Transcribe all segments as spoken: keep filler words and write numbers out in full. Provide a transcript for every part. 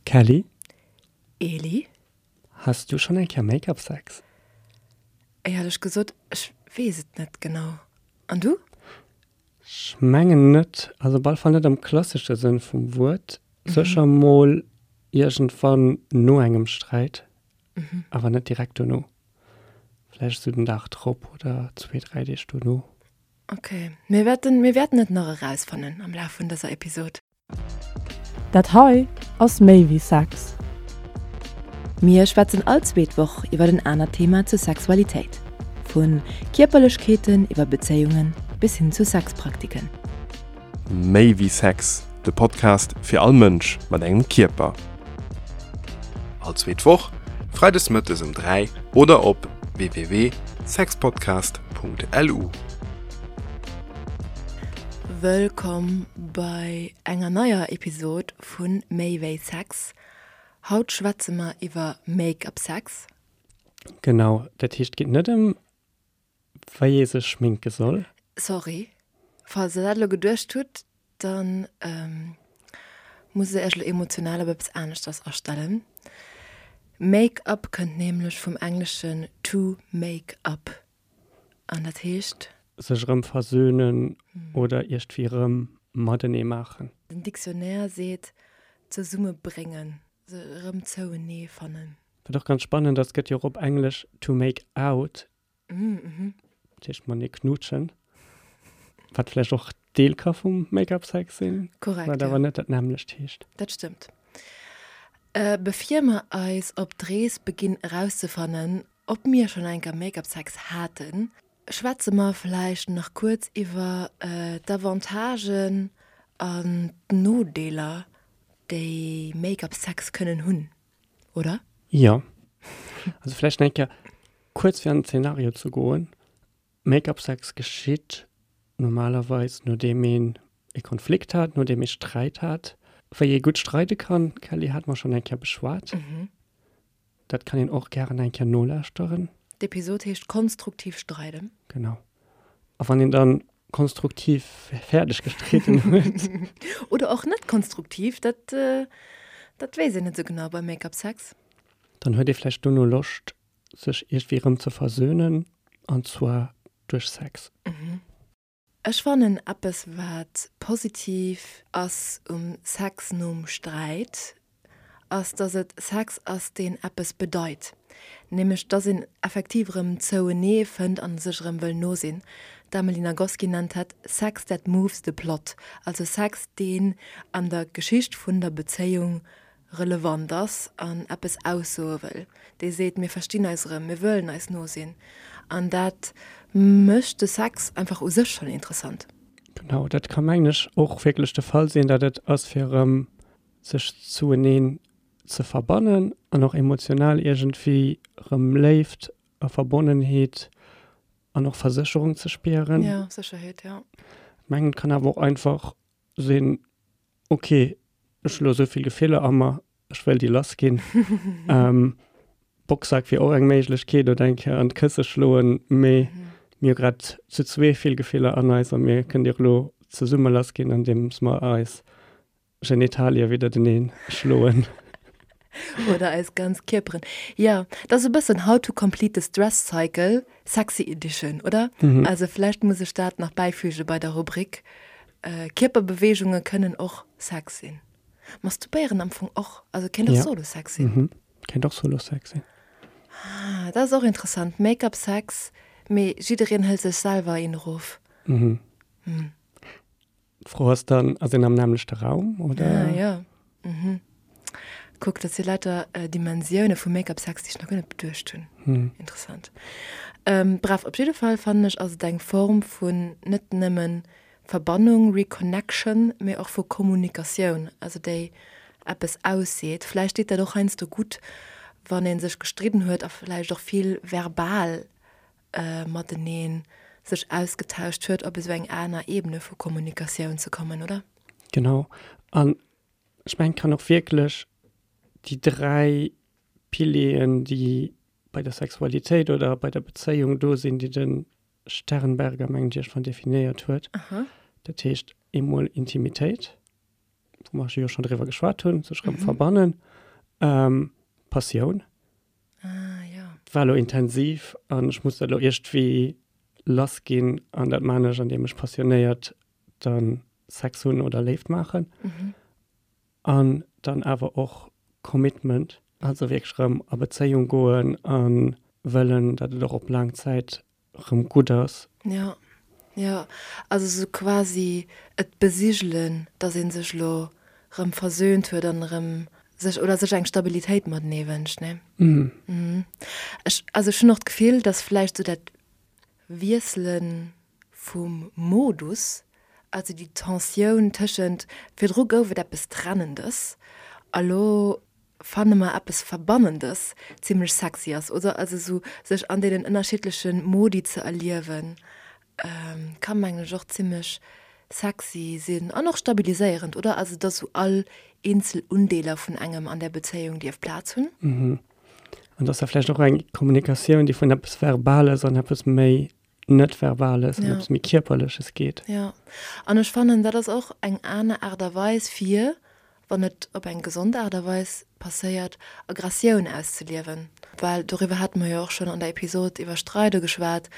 Kelly? Eli? Has du schonn eng Kéier Make-up Sex? Éierlech gesot, ech weess et net genau. An du? Ech mengen net, also op alle Fall net am klassesche Sënn vum Wuert. Sécher mol iergendwann no engem Sträit, awer net direkt dono. Vläicht esou den Dag drop oder zwee, dräi Deeg dono. Ok, mir wäerten, mir wäerten et nach erausfannen am Laf vun dëser Episod. Dat hei ass méi wéi Sex. Mir schwätzen all zweet Woch iwwer en anert Thema zur Sexualitéit. Vu Kierperlechkeeten iwwer Bezéiungen bis hin zu Sexpraktiken. Méi wéi Sex, de Podcast fir all Mënsch mat engem Kierper. All zweet Woch, freides mëttes um dräi oder op w w w sexpodcast punkt l u. Wëllkomm bei enger neier Episod vu Méi wéi Sex. Haut schwätze mer iwwer Make-up Sex. Genau, dat heescht, et geet net ëm wéi ee sech schminke soll. Sorry, falls der dat elo geduecht hutt, dann musst der iech elo emotional op eppes aneschters astellen. Make-up kënnt nämlech vum engleschen to make up an dat heescht. Sech erëm versöhnen oder iergendwéi erëm matenee maachen. Den Dictionnaire seet zesummebréngen, se erëm zouenee fannen. Wat och ganz spannend ass, gëtt jo och op Englesch to make out, dat heescht matenee knutschen, wat vläicht och Deel ka vum Make-up-Sex sinn, Korrekt, wat ja. awer net dat nämmlecht heescht. Dat stëmmt. Bevir mer eis op d'Rees beginn erauszefannen, ob mir schonn eng Kéier Make-up-Sex haten, schwätze mer vläicht nach kuerz iwwer d'Avantagen an d'Nodeeler, déi Make-up-Sex kënnen hunn, oder? Jo. Also vläicht nach eng Kéier kuerz fir an den Zeenario ze goen, Make-up-Sex geschitt normalerweis nodeem een e Konflikt hat, nodeem ee Sträit hat. Wéi ee gutt streide kann, Kelly, hate mer schonn eng Kéier beschwat. Dat kann een och gären eng Kéier nolauschteren. D'Episod heescht Konstruktiv streiden. Genau. A wann een dann konstruktiv fäerdeg gestritten huet. Oder och net konstruktiv, dat, dat weess een net esou genau beim Make-up-Sex. Dann huet ee vläicht dono Loscht, sech iergendwéi erëm ze versönen, an zwar duerch Sex. Ech fannen eppes wat positiv ass um Sex nom Sträit, ass dass et Sex ass deen eppes bedeit. Nämlech dass een effektiv erëm zouenee fënnt an sech erëm wëll no sinn. D'Amelie Nagoski nennt dat Sex that moves the plot, also Sex deen an der Geschicht vun der Bezéiung relevant ass an eppes aussoe wëll. Dee seet, mir verstinn eis erëm, mir wëllen eis no sinn. An dat mécht de Sex einfach u sech schonn interessant. Genau, dat ka mengen ech och wierklech de Fall sinn, datt et ass fir erëm sech zoueneen ze verbannen an och emotional iergendwéi erëm Léift a Verbonnenheet an och Versécherung ze spieren. Ja, Sécherheet, ja. Ech mengen, et kann awer och einfach sinn, okay, ech hu lo esou vill Gefiller a mer, ech wëll déi lass ginn. Boxsack wier och eng Méiglechkeet oder eng Kéier an d'Kësse schloen, mee mir hu grad zu zwee vill Gefiller an eis a mir kënnen déi och elo zesumme lass ginn, andeems mer eis Genitalie widderteneen schloen. Oder eis ganz Kierperen. Jo, dat ass e bëssen How to complete the stress cycle, sexy edition, oder? Also vläicht muss ech dat nach bäifüge bei der Rubrik, Kierperbeweegunge kënnen och Sex sinn. Masturbéieren am Fong och, also kéint och Solo-Sex sinn. Kéint och Solo-Sex sinn. Ah, dat ass och interessant. Make-up-Sex, mee jiddereen hëlt sech selwer een erof. D'Fro ass dann, ass een am nämmlechte Raum, oder? Ah, jo. Mhm. Kuck, dat si lauter Dimensioune vu Make-up-Sex, déi ech nach guer net beduecht hunn. Interessant. Bref, op jidde Fall fannen ech, ass et eng Form vun net nëmmen Verbannung, Reconnection, mee och vu Kommunikatioun, also déi eppes ausseet. Vläicht deet dat och heiansdo gutt, wann ee sech gestridden huet a vläicht och vill verbal matenee sech ausgetauscht huet, op esou eng aner Ebene vu Kommunikatioun ze kommen, oder? Genau. An ech mengen, et kann och wierklech déi dräi Pilieren, déi bei der Sexualitéit oder bei der Bezéiung do sinn, déi de Sternberger, mengen ech, iergendwann definéiert huet. Dat heescht eemol Intimitéit, wou mer jo schonn driwwer geschwat hunn, sech erëm verbannen. Passioun. Ah, jo. Et war elo intensiv an ech muss dat elo iergendwéi lass ginn an dat maan ech, andeem ech passionéiert dann Sex hunn oder Léift maachen. An dann awer och Commitment, also wierklech erëm a Bezéiung goen a wëllen, datt et och op laang Zäit erëm gutt ass. Jo, jo, also sou quasi et besigelen, datt ee sech elo erëm versöhnt huet an erëm sech oder sech eng Stabilitéit matenee wënscht, ne? Mhm. Ech, also ech hunn och d'Gefill, datt vläicht sou dat Wiessele vum Modus, also déi Tensioun tëschent, virdru gouf et eppes Trennendes a lo fanne mer eppes Verbannendes, zimlech sexy ass, oder? Also sou sech an deenen ënnerschiddleche Modi ze erliewen, ka mengen ech och zimlech sexy sinn an och stabiliséierend, oder? Also dass sou all eenzel Undeeler vun engem an där Bezéiung dierf Plaz hunn. Mhm. An dass da vläicht och eng Kommunikatioun, déi vun eppes Verbales an eppes méi Net-Verbales an eppes méi Kierperleches geet. Jo. An ech fannen, dat ass och eng aner Aart a Weis fir, wann et op eng gesond Aart a Weis passéiert, Aggressioun auszeliewen. Well doriwwer hate mer jo och schonn an der Episod iwwer Streide geschwat,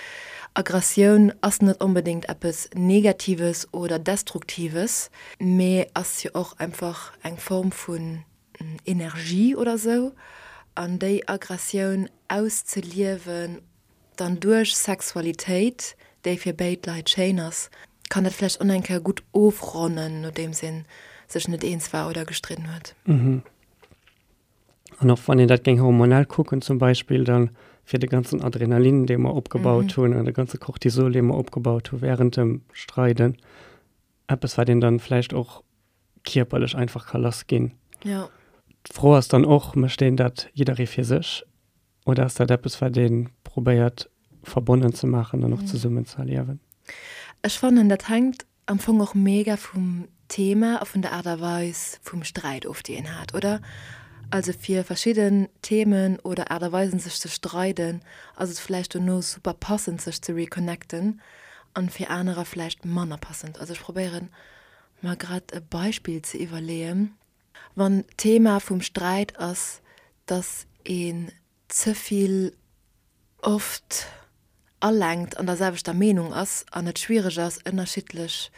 Aggressioun ass net onbedéngt eppes Negatives oder Destruktives, mee ass jo och einfach eng Form vun Energie oder sou. An déi Aggressioun auszeliewen dann duerch Sexualitéit, déi fir béid Leit schéin ass, kann dat vläicht och nach eng Kéier gutt ofronnen, nodeems ee sech net eens war oder gestridden huet. Mhm. An och wann een dat géing hormonell kucken zum Beispill, dann fir de ganzen Adrenalin, dee mer opgebaut hunn, an de ganze Cortisol, dee mer opgebaut hu während dem Streiden, eppes, wat een dann vläicht och kierperlech einfach ka lass ginn. Jo. D'Fro ass dann och, mécht een dat jidderee fir sech oder ass dat eppes, wat ee probéiert verbonnen ze maachen an och zesummen ze erliewen? Ech fannen, dat hänkt am Fong och mega vum Thema a vun der Aart a Weis vum Sträit of, déi een hat, oder? Also fir verschidden Themen oder Aart a Weisen sech ze streiden, ass et vläicht dono super passend sech ze reconnecten an fir anerer vläicht manner passend. Also ech probéieren mer grad e Beispill ze iwwerleeën. Wann d'Thema vum Sträit ass, dass een ze vill oft alenkt an der selwechter Meenung ass an et schwiereg ass ënnerschiddlech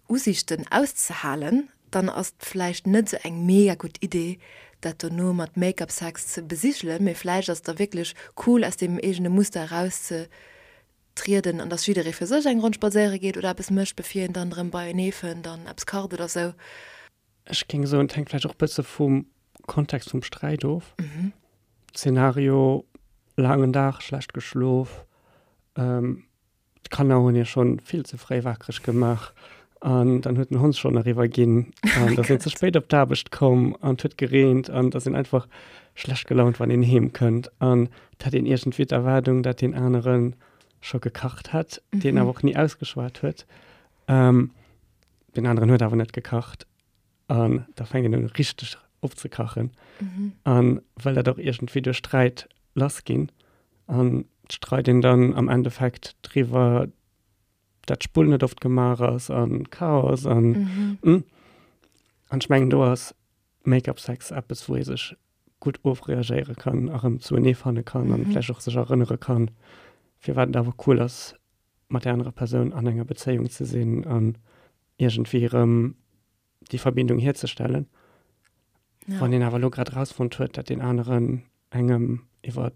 Usiichten auszehalen, dann ass et vläicht net esou eng mega gutt Idee, dat dono mat Make-up Sex ze besigelen, mee vläicht ass et da wierklech cool aus deem eegene Muster eraus ze trieden an dass jidderee fir sech eng Ronn spadséiere geet oder eppes mécht, bevir een dann erëm beienee fënnt an eppes kacht oder sou. Ech géing soen, et hänkt vläicht och e bësse vum Kontext vum Sträit of. Zeenario, laangen Dag, schlecht geschlof, d'Kanner hunn ee schonn vill ze fréi wakereg gemaach an dann huet den Hond schonn eriwwer ginn an da sinn ze spéit op d'Aarbecht komm an et huet gereent an et ass een einfach schlecht gelaunt wann een heem kënnt an et hätt een iergendwéi d'Erwaardung, dat deen anere scho gekacht hätt, deen awer och ni ausgeschwat huet. Deen aneren huet awer net gekacht an da fänkt een un richteg opzekachen an wëll dat och iergendwéi duerch Sträit lass ginn an et streit een dann am Endeffekt driwwer, dat d'Spull net oft gemaach ass an Chaos an an ech mengen do ass Make-up Sex eppes wou ee sech gutt ofreagéiere kann a rëm zuenee fanne kann an vläicht och sech erënnere kann firwat et awer cool ass mat där anerer Persoun an enger Bezéiung ze sinn an iergendwéi erëm déi Verbindung hierzestellen. Ja. Wann een awer elo grad erausfonnt huet, datt deen aneren engem iwwer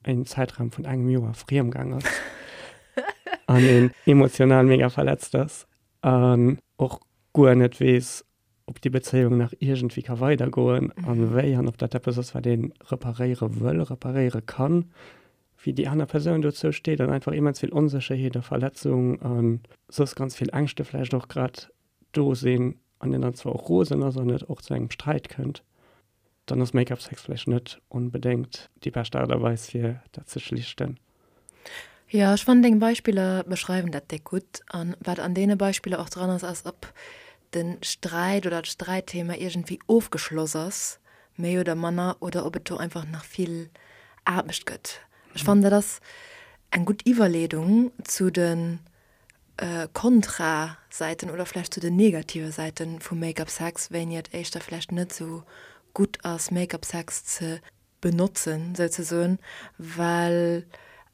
en Zäitraum vun engem Joer friem gaang ass an een emotional mega verletzt ass an och guer net weess, ob déi Bezéiung nach iergendwéi ka weidergoen an wéi an ob dat eppes ass, wat ee reparéiere wëll, reparéiere kann, wéi déi aner Persoun dozou steet an einfach immens vill Onsécherheet a Verletzung a soss ganz vill Ängschte vläicht och grad do sinn an een dann zwar och rosen ass an et och zu engem Sträit kënnt, dann ass Make-up-Sex vläicht net onbedéngt déi bescht Aart a Weis fir dat ze schlichten. Jo, ech fannen deng Beispiller beschreiwen dat déck gutt. An wat an deene Beispiller och dran ass, ass ob de Sträit oder d'Sträitthema iergendwéi ofgeschloss ass, méi oder manner, oder ob et do einfach nach vill Aarbecht gëtt. Ech fannen dat ass eng gutt Iwwerleedung zu de Kontra-Säiten oder vläicht zu den negative Säite vum Make-up Sex, wéini et éischter vläicht net esou gutt ass Make-up Sex ze benotzen souzesoen, well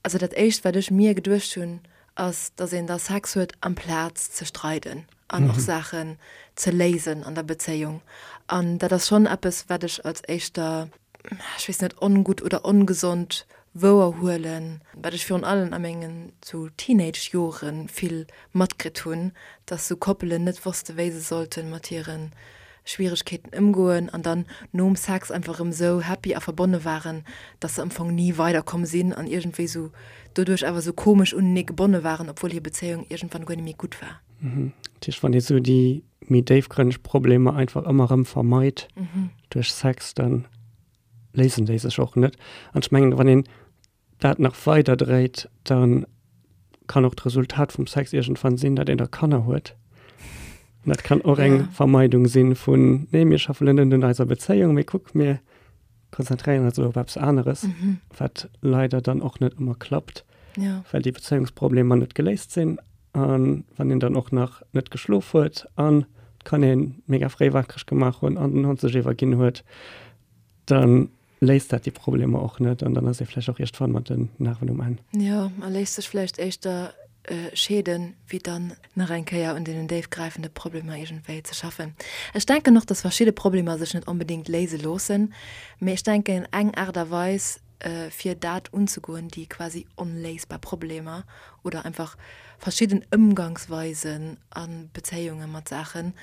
also dat éischt wat ech mir geduecht hunn ass, dass een da Sex huet amplaz ze streiden an och Saachen ze léisen an der Bezéiung an dat ass schonn eppes wat ech als éischter, ech weess net, ongutt oder ongesond wouerhuelen, wat ech virun allem a mengen sou Teenage-Jore vill matkritt hunn, dass sou Koppelen net wosste wéi se sollte mat hire Schwieregkeeten ëmgoen an dann nom Sex einfach erëm sou happy a verbonne waren, dass se am Fong ni weiderkomm sinn an iergendwéi sou doduerch awer sou komesch unenee gebonne waren, obwuel hir Bezéiung iergendwann guer net méi gutt war. Dat heescht, wann ee sou déi méi déifgrënneg Problemer einfach ëmmer erëm vermeit duerch Sex, dann léisen déi sech och net. An ech mengen, wann een dat nach weider dréit, dann kann och d'Resultat vum Sex iergendwann sinn, datt een da Kanner huet. An dat kann och eng Vermeidung sinn vun, nee, mir schaffen elo net un eiser Bezéiung, mee kuck, mir konzentréieren eis elo op eppes aneres, wat leider dann och net ëmmer klappt, well déi Bezéiungsproblemer net geléist sinn. An wann een dann och nach net geschlof huet an d'Kanner een mega fréi wakereg gemaach hunn an den Hond sech iwwerginn huet, dann léist dat déi Problemer och net an dann ass ee vläicht och iergendwann mat den Nerven um Enn. Jo, a léisst sech vläicht éischter scheeden, wéi dann nach eng Kéier un deenen déifgräifende Problemer iergendwéi ze schaffen. Ech denken och, dass verschidde Problemer sech net onbedéngt léise loossen, mee ech denken, eng Aart a Weis, fir dat unzegoen, déi quasi onléisbar Problemer oder einfach verschidden Ëmgangsweisen a Bezéiunge mat Saachen,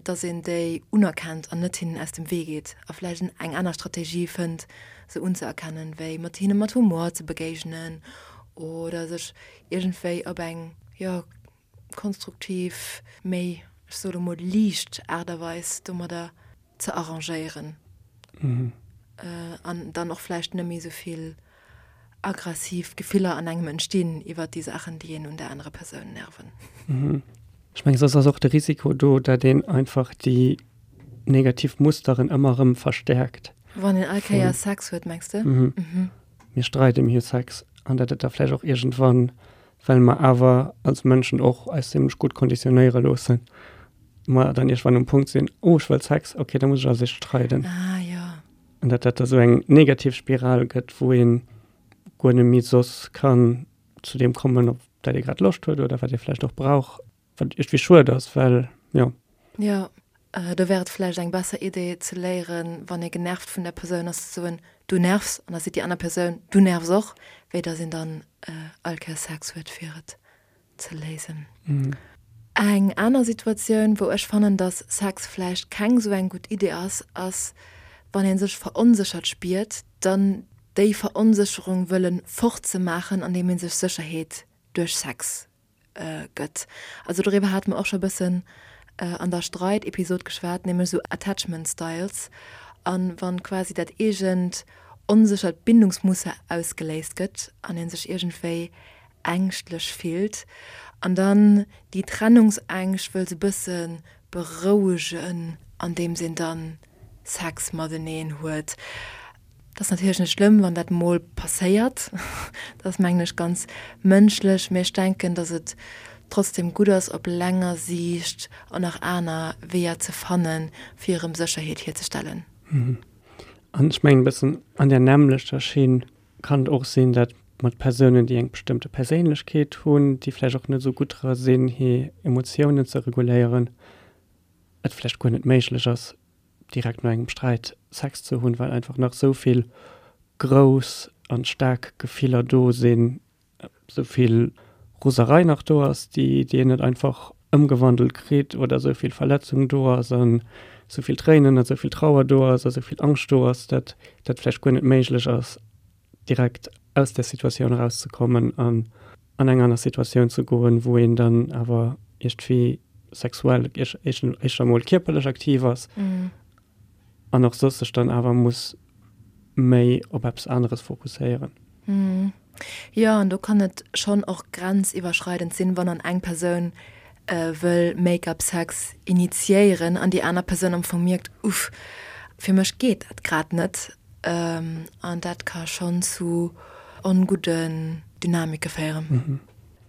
dass een déi unerkennt an net hinnen aus dem Wee geet a vläicht eng aner Strategie fënnt, se unzeerkennen, wéi mat hinne mat Humor ze begéignen oder sech iergendwéi op eng, jo, konstruktiv, méi, ech soe lo mol, liicht Aart a Weis domadder ze arrangéieren an dann och vläicht net méi esou vill aggressiv Gefiller an engem entstinn iwwert déi Saachen, déi een un där anerer Persoun nerven. Ech mengen, soss ass och de Risiko do, datt een einfach déi negativ Musteren ëmmer erëm verstäerkt. Wann een all Kéier Sex huet, mengs de? Mir streiden, mir hu Sex an datt et da vläicht och iergendwann, well mer awer als Mënschen och eis zimlech gutt konditionéiere loossen, mer dann iergendwann um Punkt sinn, oh ech wëll Sex, okay, da muss ech als éischt streiden. Ah jo. An datt dat da sou eng negativ Spiral gëtt, wou ee guer net méi soss kann zu deem kommen, op dat ee grad Loscht huet oder wat ee vläicht och brauch, wat iergendwéi schued ass, well jo. Jo, do wär et vläicht eng besser Idee ze léieren, wann ee genervt vun der Persoun ass, ze soen, Du nervs, an da seet déi aner Persoun, Du nervs och, wéi datt een dann all Kéiers Sex huet, fir et ze léisen. Eng aner Situatioun, wou ech fannen, datt Sex vläicht keng esou eng gutt Idee ass, ass, wann ee sech veronséchert spiert, dann déi Veronsécherung wëlle fortzemaachen, andeem ee sech Sécherheet duerch Sex gëtt. Also doriwwer hate mer och scho bëssen an der Streit-Episod geschwat, nämlech esou Attachment Styles. A wann quasi dat eegent onséchert Bindungsmuster ausgeléist gëtt an ee sech iergendwéi ängschtlech fillt an dann déi Trennungsängscht wëll se bësse berouegen, andeems een dann Sex mateneen huet. Dat ass natierlech net schlëmm, wann dat mol passéiert. Dat ass, mengen ech, ganz mënschlech. Mee ech denken, datt et trotzdem gutt ass, op länger Siicht och nach aner Weeër ze fannen, fir erëm Sécherheet hierzestellen. An ech mengen, e bëssen an där nämmlechter Schinn kann et och sinn, datt mat Persounen, déi eng bestëmmte Perséinlechkeet hunn, déi vläicht och net esou gutt dra sinn, hir Emotiounen ze reguléieren, et vläicht guer net méiglech ass, direkt no engem Sträit Sex ze hunn, well einfach nach esou vill grouss an staark Gefiller do sinn, esou vill Roserei nach do ass, déi déi een net einfach ëmgewandelt kritt oder esou vill Verletzung do ass an esou vill Tréinen an esou vill Trauer do ass a esou vill Angscht do ass, datt dat vläicht guer net méiglech ass, direkt aus där Situatioun erauszekommen an an eng aner Situatioun ze goen, wou een dann awer iergendwéi sexuell éischter emol kierperlech aktiv ass an och soss sech dann awer muss méi op eppes aneres fokusséieren. Jo, an do kann et schonn och grenziwwerschreidend sinn, wann dann eng Persoun wëll Make-up-Sex initiéieren an déi aner Persoun am Fong mierkt, Uff, fir mech geet dat grad net. An dat ka schonn zu ongudden Dynamike féieren.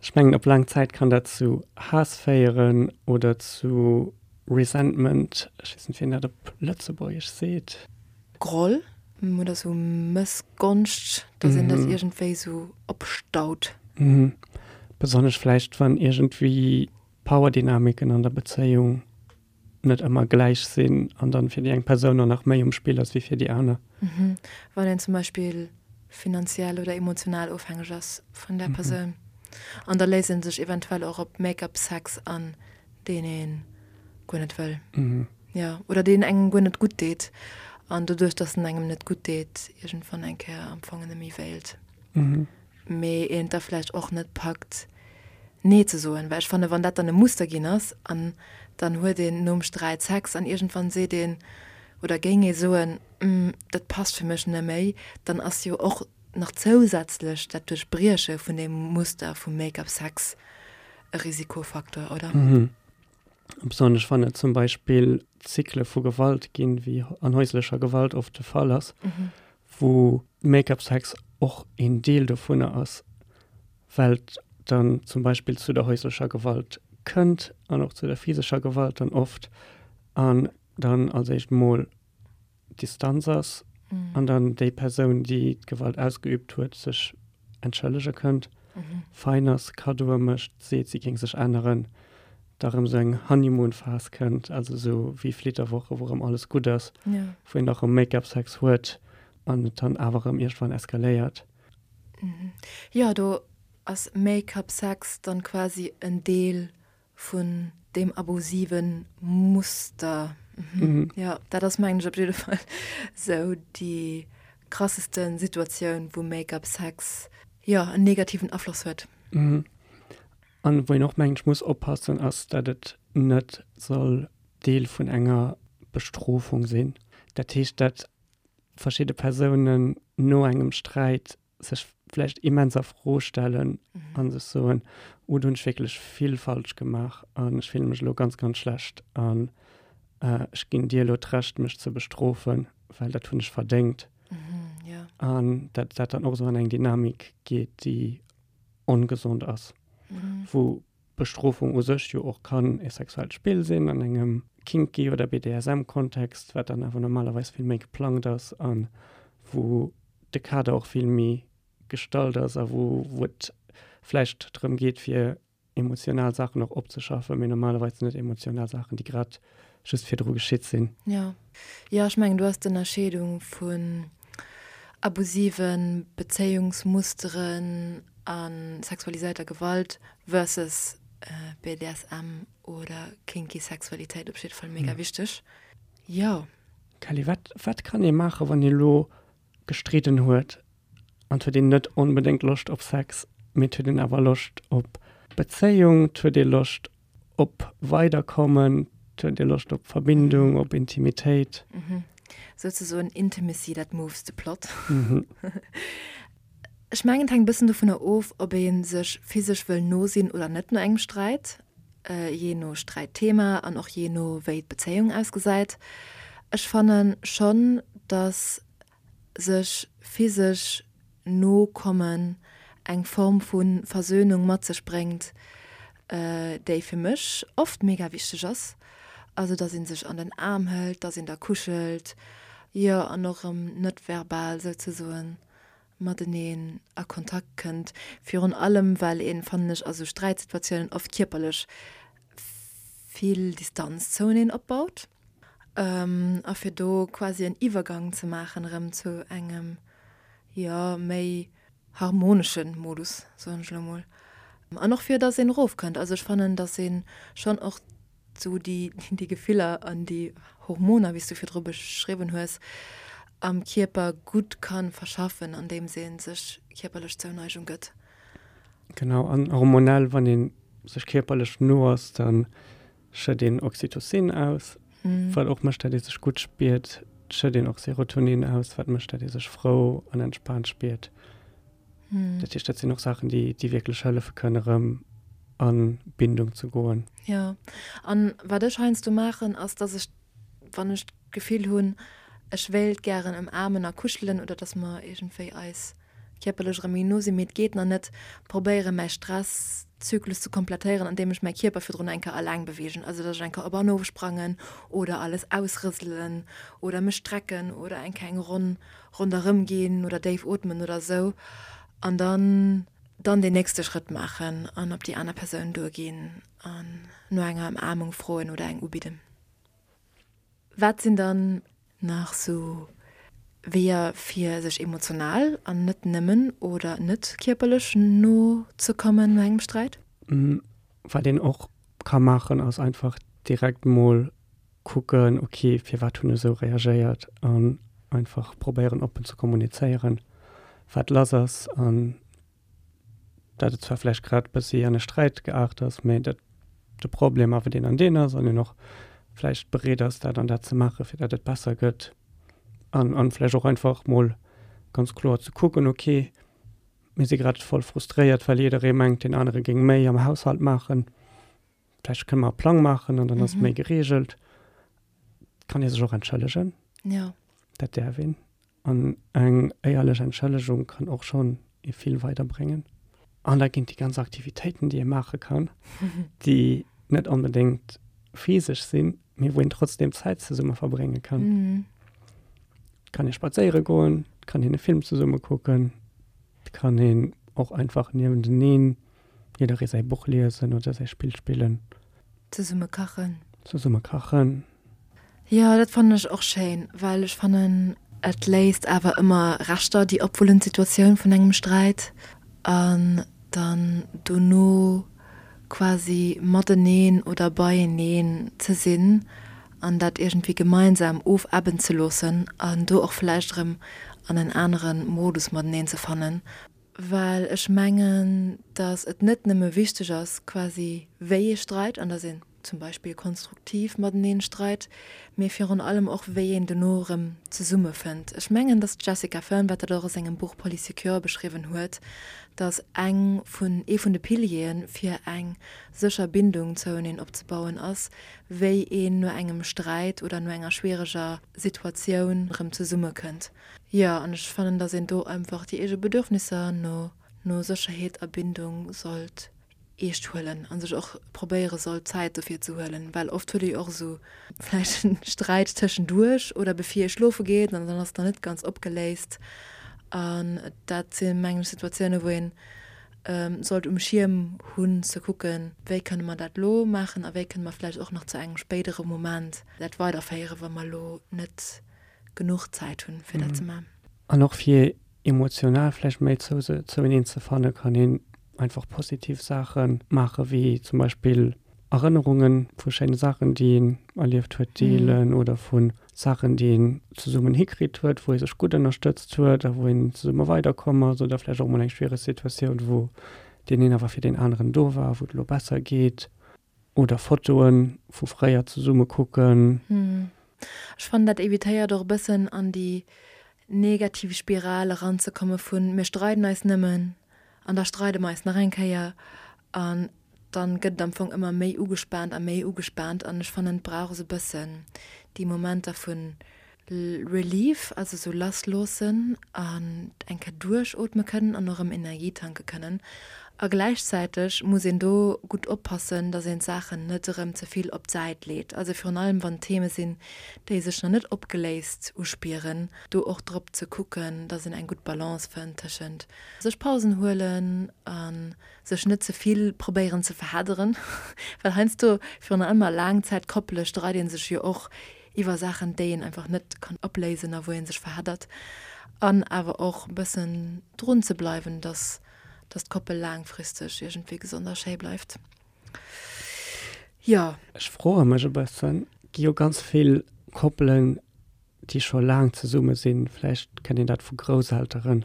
Ech mengen, op laang Zäit kann dat zu Haass féieren oder zu Resentment, ech weess net wéi een dat op Lëtzebuergesch seet. Groll oder sou Mëssgonscht, dass een dat iergendwéi sou opstaut. Besonnesch vläicht wann iergendwéi Powerdynamiken an der Bezéiung net ëmmer gläich sinn an dann fir déi eng Persoun och nach méi um Spill ass wéi fir déi aner. Wann een zum Beispill finanziell oder emotional ofhängeg ass vun där Persoun. An da léisst ee sech eventuell och op Make-up-Sex an, deen ee guer net wëll. Jo, oder deen engem guer net gutt deet. An doduerch, dass en engem net gutt deet, iergendwann eng Kéier am Fong net méi wéilt. Mee een et da vläicht och net packt, Nee ze soen. Well ech fannen, wann dat dann e Muster ginn ass an dann huet een nom Sträit Sex an iergendwann seet een oder géing ee soen, dat passt fir mech net méi, dann ass jo och nach zousätzlech dat Duerchbrieche vun deem Muster vum Make-up-Sex e Risikofaktor, oder? Besonnesch wann et zum Beispill Zykle vu Gewalt ginn, wéi an häuslecher Gewalt oft de Fall ass, wou Make-up-Sex och een Deel dovunner ass, well et dann zum Beispill zu der häuslecher Gewalt kënnt an och zu der physescher Gewalt dann oft an dann als éischt mol Distanz ass an dann déi Persoun, déi d'Gewalt ausgeübt huet, sech entschëllege kënnt, fein ass, Kaddoe mécht, seet, si géing sech änneren, da rëm esou eng Honeymoon-Phas kënnt, also esou wéi Flitterwoche, wou rëm alles gutt ass, wou een da rëm Make-up-Sex huet an et dann awer rëm iergendwann eskaléiert. Jo, do ass Make-up-Sex dann quasi en Deel vun deem abusive Muster. Jo, dat ass mengen ech op jidde Fall sou déi krassesten Situatioun, wou Make-up-Sex, jo, en negativen Afloss huet. An wou een och mengen ech muss oppassen ass, dat et net soll Deel vun enger Bestrofung sinn. Dat heescht, dat verschidde Persounen no engem Sträit sech vläicht immens a Fro stellen a sech soen, oh do hunn ech wierklech vill falsch gemaach an ech fille mech elo ganz, ganz schlecht an ech ginn dir elo d'Recht mech ze bestrofen, well dat hunn ech verdéngt. An dat dat dann och esou an eng Dynamik geet, déi ongesond ass, wou Bestrofung u sech jo och kann e sexuellt Spill sinn an engem kinky oder B D S M-Kontext, wat dann awer normalerweis vill méi geplangt ass a wou de Kader och vill méi gestallt ass a wou, wou et vläicht drëm geet, fir emotional Saachen och opzeschaffen, mee normalerweis sinn et emotional Saachen, déi grad just virdru geschitt sinn. Jo. Jo, ech mengen, do ass d'Ënnerscheedung vun abusive Bezéiungsmusteren a sexualiséierter Gewalt versus B D S M oder kinky Sexualitéit op jidde Fall mega wichteg. Jo. Kelly, wat, wat kann ee maachen, wann ee lo gestridden huet an et huet een net onbedéngt Loscht op Sex, mee et huet een awer Loscht op Bezéiung, et huet ee Loscht op Weiderkommen, et huet ee Loscht op Verbindung, op Intimitéit. Mhm. Souzesoen Intimacy that moves the plot. Ech mengen, et hänkt e bëssen dovunner of, ob ee sech physesch wëll no sinn oder net no engem Sträit, jee no Sträitthema an och jee no wéi d'Bezéiung ausgesäit. Ech fanne schonn, datt sech physesch no kommen eng Form vu Versöhnung mat sech bréngt, déi fir mech oft mega wichteg ass. Also datt ee sech an den Aarm hëlt, datt een da kuschelt, jo, an och erëm net verbal souzesoen mateneen a Kontakt kënnt. Virun allem well een, fannen ech, a sou Sträitsituatiounen oft kierperlech vill Distanz zoueneen opbaut. A fir do quasi en Iwwergang ze maachen erëm zu engem, jo, méi harmonesche Modus, soen ech elo mol. An och fir datt een erofkënnt. Also ech fannen, datt ee schonn och sou déi, déi Gefiller an déi Hormoner, wéi s du virdru beschriwwen hues, am Kierper gutt ka verschaffen, andeems ee sech kierperlech Zouneigung gëtt. Genau, an hormonell, wann ee sech kierperlech no ass, da schëtt een Oxytocin aus, wat och mécht, datt ee sech gutt spiert. Et schëtt een och Serotonin aus, wat mécht, datt ee sech frou an entspaant spiert. Dat heescht, dat sinn och Saachen, déi, déi wierklech hëllefe kënnen, erëm a Bindung ze goen. Jo, an wat ech heiansdo maachen, ass, datt ech, wann ech d'Gefill hunn, ech wéilt gären ëmaarmen a kuschelen oder datt mer iergendwéi eis kierperlech erëm méi no sinn, mee et geet nach net, probéiere mäi Stresszyklus ze komplettéieren, andeem ech mäi Kierper virdrun eng Kéier eleng beweegen, also datt ech eng Kéier op an of sprangen oder alles ausrëselen oder mech strecken oder eng Kéier eng Ronn ronderëm ginn oder déif ootmen oder esou an dann dann deen nächste Schrëtt maachen an op déi aner Persoun duerginn an no enger Ëmaarmung froen oder eng ubidden. Wat sinn dann nach sou Weeër fir sech emotional an net nëmmen oder net kierperlech no ze kommen no engem Sträit? Wat een och ka maachen ass einfach direkt mol kucken, ok firwat hunn ech esou reagéiert an einfach probéieren oppen ze kommunizéieren wat lass ass an dat et zwar vläicht grad bëssi an e Sträit geaart ass, mä dat de Problem awer deen an deen ass an een och vläicht bereet ass dat an dat ze maachen, fir dat et besser gëtt an an vläicht och einfach mol ganz kloer ze kucken, ok mir si grad voll frustréiert, well jidderee mengt deen anere géing méi am Haushalt maachen, vläicht kënne mer e Plang maachen an dann ass et méi gereegelt. Et kann ee sech och entschëllegen. Jo. Dat däerf een. An eng éierlech Entschëllegung kann och schonn ee vill weiderbréngen. An da ginn et déi ganz Aktivitéiten, déi ee maache kann, déi net onbedéngt physesch sinn, mee wou een trotzdeem Zäit zesumme verbrénge kann. Et kann ee spadséiere goen, et kann een e Film zesumme kucken, et kann een och einfach niewenteneen jidderee säi Buch liesen oder säi Spill spillen. Zesumme kachen. Zesumme kachen. Jo, dat fannen ech och schéin, well ech fannen, et léist awer ëmmer Reschter, déi opwullend Situatioun vun engem Sträit, an dann dono quasi mateneen oder beieneen ze sinn an dat iergendwéi gemeinsam ofebben ze loossen an do och vläicht erëm an en anere Modus mateneen ze fannen. Well ech mengen, datt et net nëmme wichteg ass quasi wéi ee streit an datt een zum Beispill konstruktiv mateneen streit, mee virun allem och wéi een dono erëm zesummefënnt. Ech mengen, datt d'Jessica Fern, wat dat och a sengem Buch Polysecure beschriwwen huet, datt eng vun, ee vun de Piliere fir eng sécher Bindung zoueneen opzebauen ass, wéi een no engem Sträit oder no enger schwiereger Situatioun erëm zesummekënnt. Jo, an ech fannen, datt een do einfach déi eege Bedürfnisser no no Sécherheet a Bindung sollt eescht huelen a sech och probéiere sollt, Zäit dofir ze huelen, well oft huet ee jo och esou vläicht e Sträit tëschenduerch oder bevir ee schlofe geet an dann ass et nach net ganz opgeléist. An dat si mengen ech Situatiounen, wou een sollt um Schierm hunn ze kucken, wéi kënne mer dat elo maachen a wéi kënne mer vläicht och nach zu engem spéidere Moment dat weiderféieren, wa mer elo net genuch Zäit hunn, fir dat ze maachen. An och fir emotional vläicht méi zoueneen ze fannen, kann een einfach positiv Saache maachen, wéi zum Beispill Erënnerunge vu schéine Saachen, déi een erlieft huet, deelen oder vu Saachen, déi een zesummen hikritt huet, wou ee sech gutt ënnerstëtzt huet a wou een zesumme weiderkomm ass oder vläicht och mol eng schwiereg Situatioun, wou deen een awer fir deen aneren do war, wou et elo besser geet. Oder Fotoe vu fréier zesumme kucken. Ech fannen, dat evitéiert och e bëssen an déi negativ Spiral eranzekomme vun mir streiden eis nëmmen an da streide mer eis nach eng Kéier an dann gëtt et am Fong ëmmer méi ugespaant a méi ugespaant an ech fannen, et brauch esou e bëssen déi Momenter vun Relief, also esou lassloossen an eng Kéier duerchootme kënnen an och erëm Energie tanke kënnen. A gläichzäiteg muss een do gutt oppassen, dass een d'Saachen net erëm ze vill op d'Säit leet. Also virun allem wann et Theme sinn, déi sech nach net opgeléist uspieren, do och drop ze kucken, dass een eng gutt Balance fënnt tëschent sech Pausen huelen a sech net ze vill probéieren ze verhedderen, well heiansdo, virun allem a Laangzäitkoppele streit ee sech jo och iwwer Saachen, déi een einfach net kann opléisen a wou ee sech verheddert. An awer och e bëssen drun ze bleiwen, dass dass d'Koppel laangfristeg iergendwéi gesond a schéi bleift. Jo. Ech froe mech e bëssen, gi jo ganz vill Koppelen, déi scho laang zesumme sinn, vläicht kennt een dat vu Grousselteren,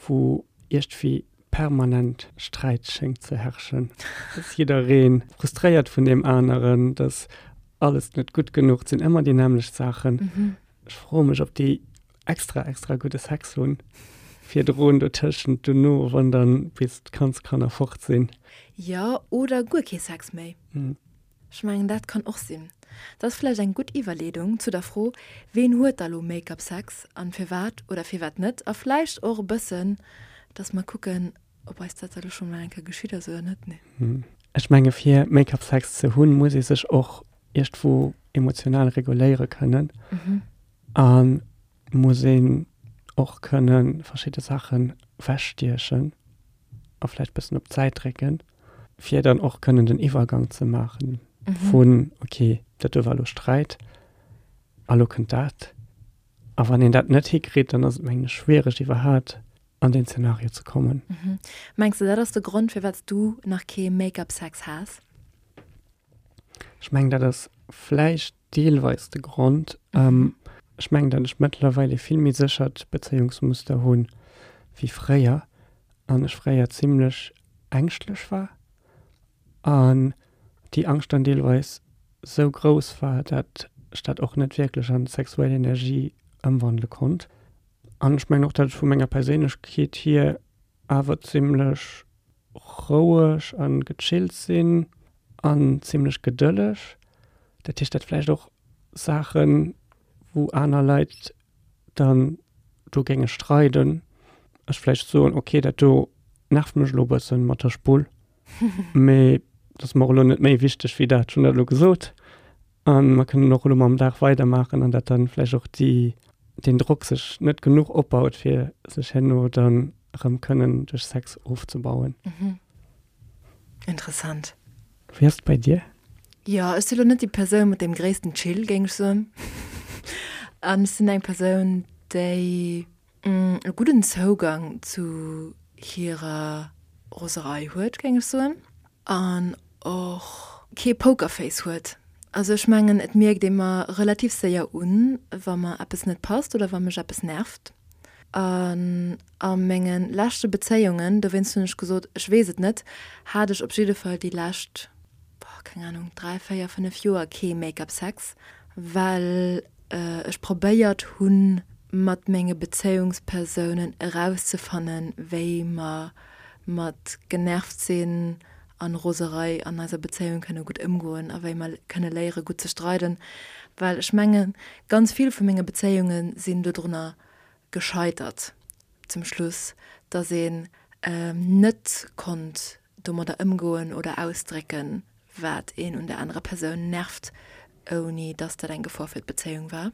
wou iergendwéi permanent Sträit schéngt ze herrschen, dass jidderee frustréiert vun deem aneren, dass alles net gutt genuch, et sinn ëmmer déi nämmlecht Saachen. Ech froe mech, ob déi extra extra gudde Sex hunn virdrun, dotëschent, dono, wann dann bis d'Kandskanner fort sinn. Jo, oder guer kee Sex méi. Ech mengen, dat kann och sinn. Dat ass vläicht eng gutt Iwwerleedung zu der Fro, Ween huet da lo Make-up-Sex an firwat oder firwat net? A vläicht och e bëssen, dass mer kucken, ob eis dat da lo scho mol eng Kéier geschitt ass oder net. Nee. Ech menge fir Make-up-Sex ze hunn, muss ee sech och iergendwou emotional reguléiere kënnen a muss een och kënne verschidde Saachen wechstiechen a vläicht bëssen op d'Säit drécken, fir dann och kënnen den Iwwergang ze maachen vun, okay, dat do war elo Sträit a lo kënnt dat. A wann een dat net hikritt, dann ass et mengen ech schwiereg iwwerhaat an deen Zenario ze kommen. Mengs de dat ass de Grond firwat s du nach kee Make-up-Sex has? Ech mengen dat ass vläicht deelweis de Grond. Ech mengen dat ech mëttlerweil ee vill méi séchert Bezéiungsmuster hunn wéi fréier an ech fréier zimlech ängschtlech war an déi Angscht dann deelweis sou grouss war, dat ech dat och net wierklech an sexuell Energie ëmwandele konnt. An ech mengen och, dat ech vu menger Perséinlechkeet hier awer zimlech roueg a gechillt sinn an zimlech gedëlleg. Dat heescht, dat vläicht och Saachen, wou aner Leit dann do géinge streiden, ech vläicht soen, okay, dat do nervt mech elo e bëssen mat der Spull, mee dat ass mer och elo net méi wichteg wéi dat, ech hunn dat elo gesot a mer kënnen och elo mam Dag weidermaachen an dat dann vläicht och déi, deen Drock sech net genuch opbaut, fir sech herno dann erëm kënnen duerch Sex ofzebauen. Interessant. Wéi ass et bei dir? Jo, ech si lo net déi Persoun mat deem gréissten Chill, géing ech soen. An ech sinn eng Persoun, déi e gudden Zougang zu hirer Roserei huet, géing ech soen. An och kee Pokerface huet. Also ech mengen, et mierkt ee mer relativ séier un, wa mer eppes net passt oder wa mech eppes nervt. An a menge leschte Bezéiungen, dowéinst hunn ech gesot, ech weess et net, hat ech op jidde Fall déi lescht, keng Anung, dräi, véier, fënnef Joer kee Make-up-Sex, well ech probéiert hunn, mat menge Bezéiungspersounen erauszefannen, wéi mer mat genervt sinn an Roserei an eiser Bezéiung kënne gutt ëmgoen a wéi mer kënne léiere gutt ze streiden, well ech mengen, ganz vill vu menge Bezéiunge sinn dodrunner gescheitert zum Schluss, dass een net konnt domadder ëmgoen oder ausdrécken, wat een un der anerer Persoun nervt, ouni dass dat eng Gefor fir d'Bezéiung war.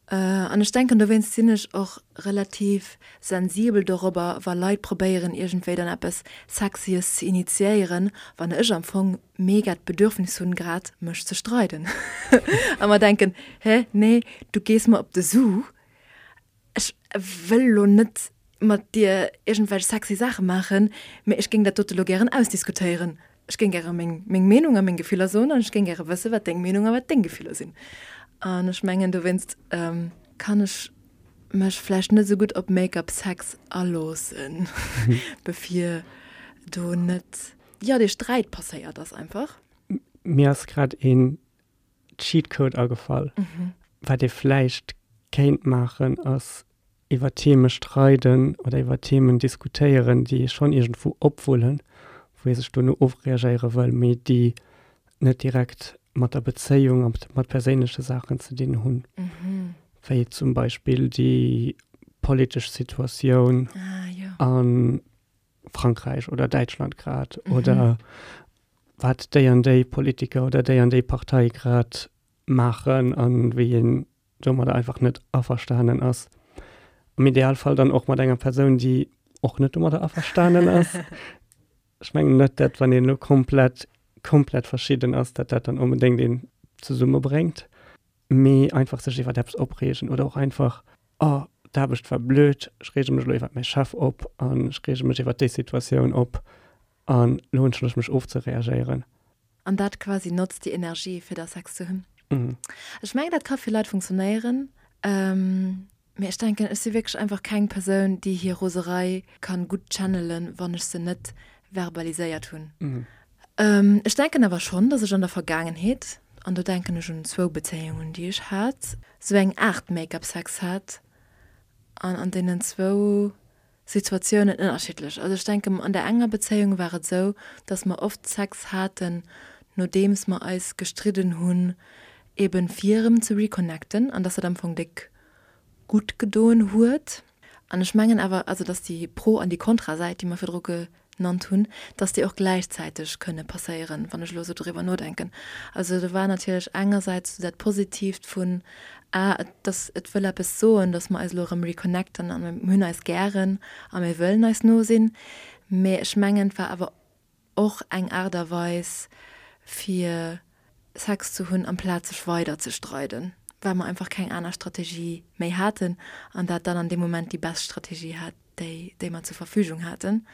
An ech denken, dowéinst sinn ech och relativ sensibel dorobber, wa Leit probéieren, iergendwéi dann eppes Sexyes ze initiéieren, wann ech am Fong mega d'Bedürfnis hunn, grad mech ze streiden a mer denken, Hä, nee, du gees mer op de Su, ech wëll elo net mat dir iergendwelch sexy Saache maachen, mee ech géing dat dote lo gären ausdiskutéieren. Ech géing gäre meng meng Meenung a meng Gefiller soen an ech géing gäre wësse wat deng Meenung a wat deng Gefiller sinn. An ech mengen dowéinst kann ech mech vläicht net esou gutt op Make-up Sex aloossen, bevir do net, jo, dee Sträit passéiert ass einfach. Mir ass grad een Cheatcode agefall. Wat ee vläicht kéint maachen ass iwwer Theme streiden oder iwwer Themen diskutéieren, déi ee schonn iergendwou opwullen, wou ee sech dono ofreagéiere wëll, mee déi net direkt mat der Bezéiung a mat perséinleche Saachen ze dinn hunn, wéi zum Beispill déi politesch Situatioun a Frankräich oder Däitschland grad oder wat déi an déi Politiker oder déi an déi Partei grad maachen a wéi een domadder einfach net averstanen ass. Am Idealfall dann och mat enger Persoun, déi och net domadder averstanen ass. Ech mengen net, dat wann een elo komplett, komplett verschidden ass, dat dat dann onbedéngt een zesummebréngt. Mee einfach sech iwwert eppes opreegen oder och einfach, oh, d'Aarbecht war blöd, ech reege mech elo iwwert mäi Chef op an ech reege mech iwwert déi Situatioun op an elo hunn ech Loscht mech ofzereagéieren. An dat quasi notzt déi Energie fir da Sex ze hunn. Ech mengen dat ka fir Leit funktionéieren, mee ech denken ech si wierklech einfach keng Persoun déi hir Roserei kann gutt channelen wann ech se net verbaliséiert hunn. Ech denken awer schonn dass ech an der Vergaangenheet, an do denken ech un zwou Bezéiungen déi ech hat, sou eng Aart Make-up Sex hat an an deenen zwou Situatiounen ënnerschiddlech. Also ech denken an der enger Bezéiung war et sou dass mer oft Sex haten nodeems mer eis gestridden hunn, eben fir erëm ze reconnecten an dass dat am Fong déck gutt gedoen huet. An ech mengen awer, also dass déi Pro an déi Kontrasäit, déi mer virdru genannt hunn, dass déi och gläichzäiteg kënne passéieren, wann ech elo esou driwwer nodenken. Also do war natierlech engersäits dat Positiivt vun, ah, et dass et wëll eppes soen, dass mer eis elo erëm reconnecten a mir hunn eis gären a mir wëllen eis no sinn. Mee ech mengen, et war awer och eng Aart a Weis, fir Sex ze hunn, amplaz sech weider ze streiden, well mer einfach keng aner Strategie méi haten an dat dann an deem Moment déi best Strategie hat, déi, déi mer zur Verfügung haten,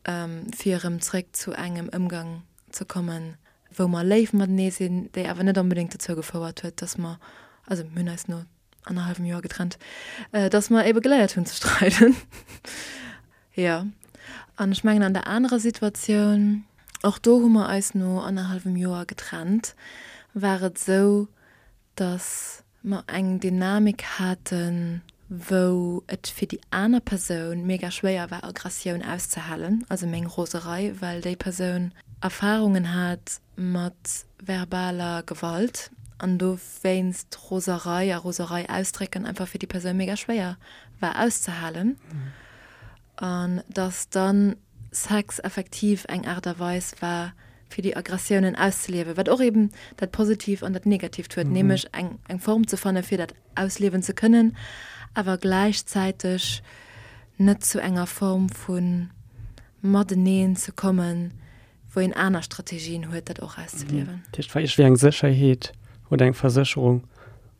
fir erëm zréck zu engem Ëmgang ze kommen, wou mer léif matenee sinn, déi awer net onbedéngt dozou gefouert huet, dass mer, also mir hunn eis no annerhallwem Joer getrennt, dass mer ebe geléiert hunn ze streiden. Jo. An ech mengen an der anerer Situatioun, och do hu mer eis no annerhallwem Joer getrennt, war et esou, dass mer eng Dynamik haten, wou et fir déi aner Persoun mega schwéier war Aggressioun auszehalen, also meng Roserei, well déi Persoun Erfarungen hat mat verbaler Gewalt an dowéinst Roserei a Roserei ausdrécken einfach fir déi Persoun mega schwéier war auszehalen. An dass dann Sex effektiv eng Aart a Weis war, fir déi Aggressiounen auszeliewen, wat och eben dat Positiivt an dat Negatiivt huet, nämlech eng eng Form ze fanne fir dat ausliewen ze kënnen, awer gläichzäiteg net zu enger Form vu mateneen ze kommen, wou een aner Strategien huet, dat och auszeliewen. Dat heescht, war iergendwéi eng Sécherheet oder eng Versécherung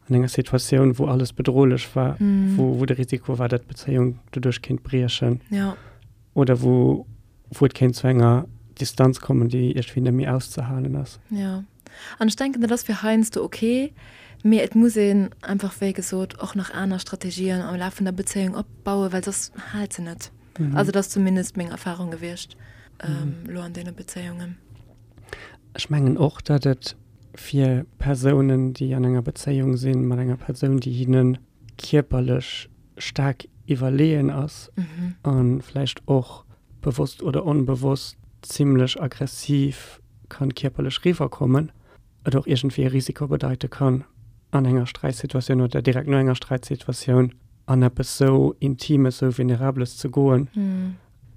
an enger Situatioun, wou alles bedrohlech war, wou wou de Risiko war, datt d'Bezéiung doduerch kéint briechen. Ja. Oder wou wou et kéint zu enger Distanz kommen, déi iergendwéi net méi auszehalen ass. Ja. An ech denken, dat ass fir heiansdo ok, mee et muss een einfach, wéi gesot, och nach aner Strategien am Laf vun der Bezéiung opbauen, well soss hält se net. Also dat ass zumindest meng Erfahrung gewiescht elo an deene Bezéiungen. Ech mengen och, datt et fir Persounen, déi an enger Bezéiung sinn mat enger Persoun, déi hinne kierperlech staark iwwerleeën ass a vläicht och bewosst oder onbewosst zimlech aggressiv kann kierperlech riwwerkommen, et och iergendwéi e Risiko bedeite kann, an enger Sträitsituatioun oder direkt no enger Sträitsituatioun an eppes sou Intimes, sou Vulnerabeles ze goen.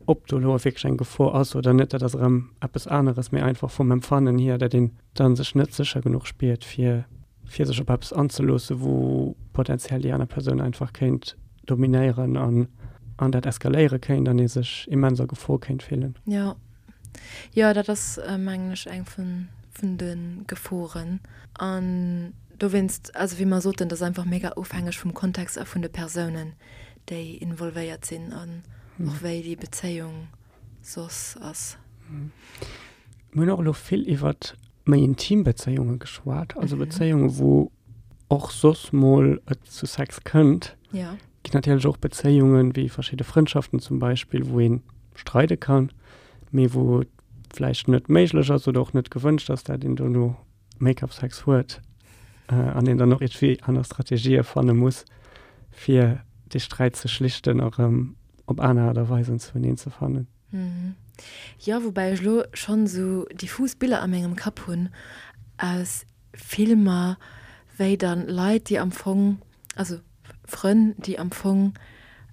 Ob do elo wierklech eng Gefor ass oder net, dat ass erëm eppes aneres, mee einfach vum Empfannen hier, datt een da sech net sécher genuch spiert, fir fir sech op eppes anzeloossen, wou potenziell déi aner Persoun einfach kéint dominéieren an an dat eskaléiere kéint an ee sech immens a Gefor kéint fillen. Jo, jo, dat ass, mengen ech, eng vun vun de Geforen. An dowéinst, also wéi mer soten, dat ass einfach mega ofhängeg vum Kontext a vun de Persounen, déi involvéiert sinn an och wéi déi Bezéiung soss ass. Mir hunn och elo vill iwwert méi intim Bezéiunge geschwat, also Bezéiunge wou och soss mol et zu Sex kënnt. Ja. Ginn natierlech och Bezéiungen, wéi verschidde Frëndschaften zum Beispill, wou ee streide kann, mee wou et vläicht net méiglech ass oder och net gewënscht ass, dat een dono Make-up-Sex huet an een dann och iergendwéi aner Strategië fanne muss, fir dee Sträit ze schlichten a rëm op aner Aart a Weisen zueneen ze fannen. Jo, woubäi ech elo schonn esou diffus Biller a mengem Kapp hunn aus Filmer, wéi dann Leit, déi am Fong, also Frënn, déi am Fong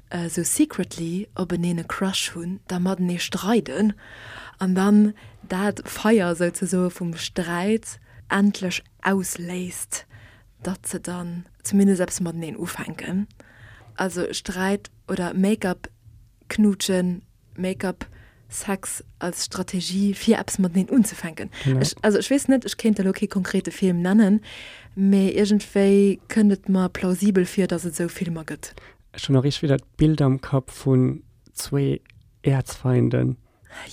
esou secretly openeen e Crush hunn, da matenee streiden an dann dat Feier souzesoe vum Sträit endlech ausléist, datt se dann zumindest eppes mateneen ufänken. Also Sträit oder Make-up knuutschen, Make-up Sex als Strategie fir eppes mateneen unzefänken. Ech, also ech weess net, ech kéint der elo kee konkrete Film nennen, mee iergendwéi kënnt et mer plausibel vir, datt et esou Filmer gëtt. Ech hunn och iergendwéi dat Bild am Kapp vun zwee Äerzfeinden,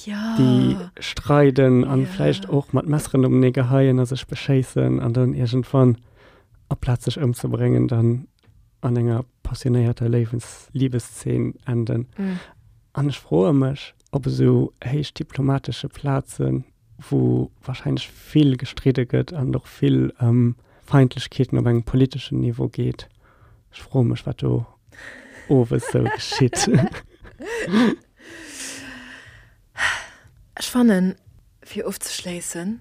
déi streiden an vläicht och mat Messeren openee geheien a sech beschéissen an dann iergendwann, aplaz sech ëmzebréngen, dann an enger passionéierter Léiwens Libeszeen enden. An ech froe mech, op esou héich diplomatesche Plazen, wou wahrscheinlech vill gestridde gëtt an och vill ëm Feindlechkeeten op engem politeschen Niveau geet, ech froe mech, wat do owes sou geschitt. Ech fannen, fir ofzeschléissen,